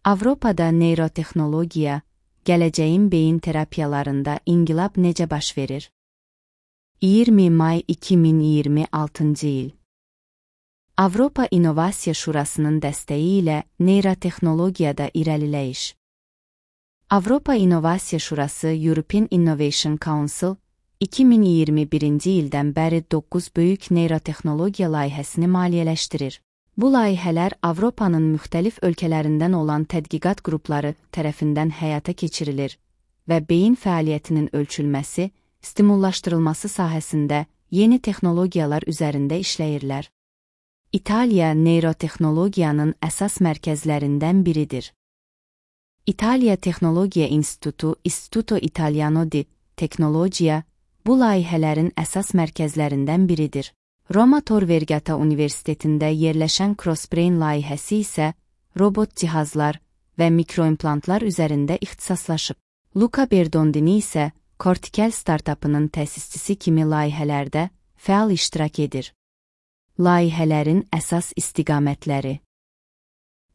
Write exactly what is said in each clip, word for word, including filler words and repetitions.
Avropada neyrotexnologiya, gələcəyin beyin terapiyalarında inqilab necə baş verir? iyirmi may iki min iyirmi altıncı il. Avropa İnnovasiya Şurasının dəstəyi ilə neyrotexnologiyada irəliləyiş. Avropa İnnovasiya Şurası European Innovation Council iki min iyirmi birinci ildən bəri doqquz böyük neyrotexnologiya layihəsini maliyyələşdirir. Bu layihələr Avropanın müxtəlif ölkələrindən olan tədqiqat qrupları tərəfindən həyata keçirilir və beyin fəaliyyətinin ölçülməsi, stimullaşdırılması sahəsində yeni texnologiyalar üzərində işləyirlər. İtaliya neyrotexnologiyanın əsas mərkəzlərindən biridir. İtaliya Texnologiya İnstitutu Istituto Italiano di Tecnologia bu layihələrin əsas mərkəzlərindən biridir. Roma Tor Vergata Universitetində yerləşən Crossbrain layihəsi isə robot cihazlar və mikroimplantlar üzərində ixtisaslaşıb. Luca Berdondini isə Cortical startapının təsisçisi kimi layihələrdə fəal iştirak edir. Layihələrin əsas istiqamətləri.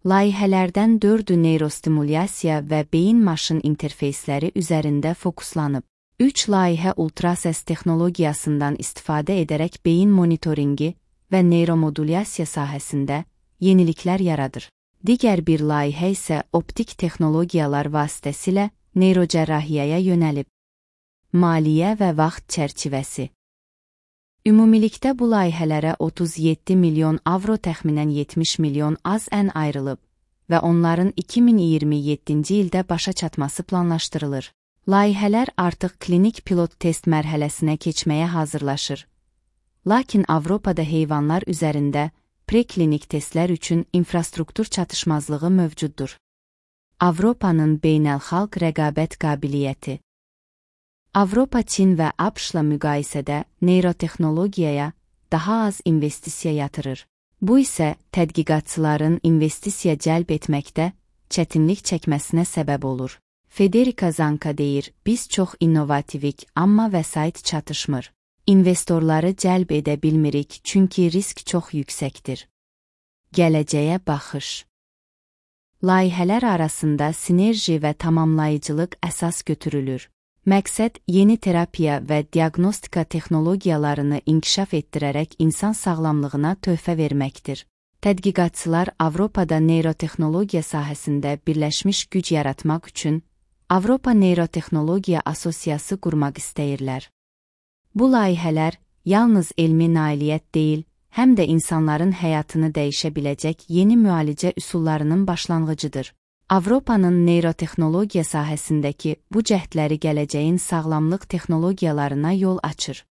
Layihələrdən dördü neyrostimulyasiya və beyin-maşın interfeysləri üzərində fokuslanıb. Üç layihə ultrasəs texnologiyasından istifadə edərək beyin monitoringi və neyromodulyasiya sahəsində yeniliklər yaradır. Digər bir layihə isə optik texnologiyalar vasitəsilə neyrocərrahiyyəyə yönəlib. Maliyyə və vaxt çərçivəsi. Ümumilikdə bu layihələrə otuz yeddi milyon avro təxminən yetmiş milyon az-ən ayrılıb və onların iki min iyirmi yeddinci ildə başa çatması planlaşdırılır. Layihələr artıq klinik pilot test mərhələsinə keçməyə hazırlaşır. Lakin Avropada heyvanlar üzərində preklinik testlər üçün infrastruktur çatışmazlığı mövcuddur. Avropanın beynəlxalq rəqabət qabiliyyəti. Avropa, Çin və ABŞ-la müqayisədə neyrotexnologiyaya daha az investisiya yatırır. Bu isə tədqiqatçıların investisiya cəlb etməkdə çətinlik çəkməsinə səbəb olur. Federica Zanca deyir, biz çox innovativik, amma vəsait çatışmır. İnvestorları cəlb edə bilmirik, çünki risk çox yüksəkdir. Gələcəyə baxış. Layihələr arasında sinerji və tamamlayıcılıq əsas götürülür. Məqsəd yeni terapiya və diaqnostika texnologiyalarını inkişaf etdirərək insan sağlamlığına töhfə verməkdir. Tədqiqatçılar Avropada neyrotexnologiya sahəsində birləşmiş güc yaratmaq üçün Avropa Neyrotexnologiya Asosiyası qurmaq istəyirlər. Bu layihələr yalnız elmi nailiyyət deyil, həm də insanların həyatını dəyişə biləcək yeni müalicə üsullarının başlanğıcıdır. Avropanın neyrotexnologiya sahəsindəki bu cəhdləri gələcəyin sağlamlıq texnologiyalarına yol açır.